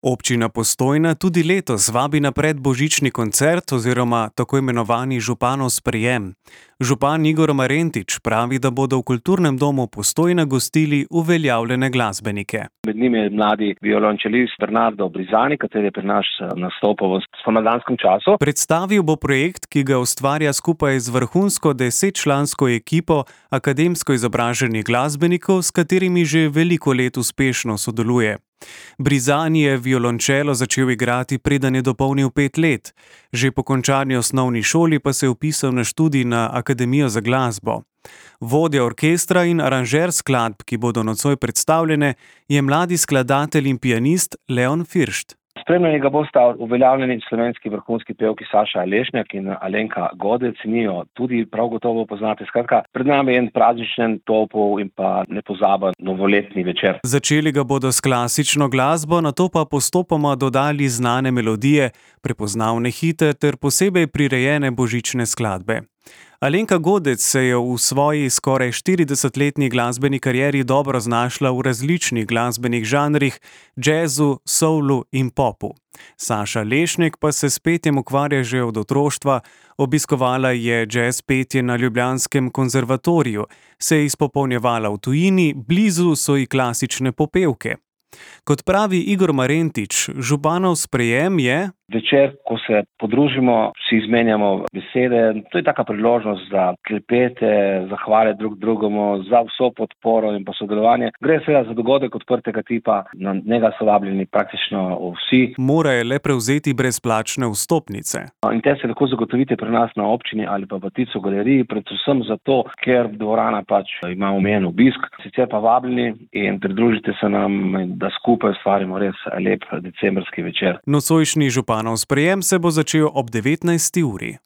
Občina Postojna tudi letos vabi na predbožični koncert oziroma tako imenovani županov sprejem. Župan Igor Marentič pravi, da bodo v kulturnem domu Postojna gostili uveljavljene glasbenike. Med njimi je mladi violončelist Bernardo Brizani, kateri je pri nas nastopal v spomladanskem času. Predstavil bo projekt, ki ga ustvarja skupaj z vrhunsko 10-člansko ekipo akademsko izobraženih glasbenikov, s katerimi že veliko let uspešno sodeluje. Brizani je violončelo začel igrati, preden je dopolnil 5 let. Že po končani osnovni šoli pa se je vpisal na študij na Akademijo za glasbo. Vodja orkestra in aranžer skladb, ki bodo nocoj predstavljene, je mladi skladatelj in pianist Leon Firšt. Spremljeni ga bosta uveljavljeni slovenski vrhunski pevki Saša Lešnjak in Alenka Godec, njo tudi prav gotovo poznate. Skratka, pred nami je en prazničen, topel in pa nepozaben novoletni večer. Začeli ga bodo s klasično glasbo, nato pa postopoma dodali znane melodije, prepoznavne hite ter posebej prirejene božične skladbe. Alenka Godec se je v svoji skoraj 40-letni glasbeni karieri dobro znašla v različnih glasbenih žanrih, džezu, soulu in popu. Saša Lešnjak pa se s petjem ukvarja že od otroštva, obiskovala je džez petje na ljubljanskem konzervatoriju, se je izpopolnjevala v tujini, blizu so ji klasične popevke. Kot pravi Igor Marentič, županov sprejem je večer, ko se podružimo, si izmenjamo besede. To je taka priložnost za klepete, zahvale drug drugemu, za vso podporo in pa sodelovanje. Gre seveda za dogodek odprtega tipa, na njega so vabljeni praktično vsi. Morajo le prevzeti brezplačne vstopnice. In te se lahko zagotovite pri nas na občini ali pa v Tico galeriji, predvsem zato, ker dvorana ima omejen obisk. Sicer pa vabljeni in pridružite se nam, da skupaj ustvarimo res lep decembrski večer. Nocojšnji županov sprejem se bo začel ob 19. uri.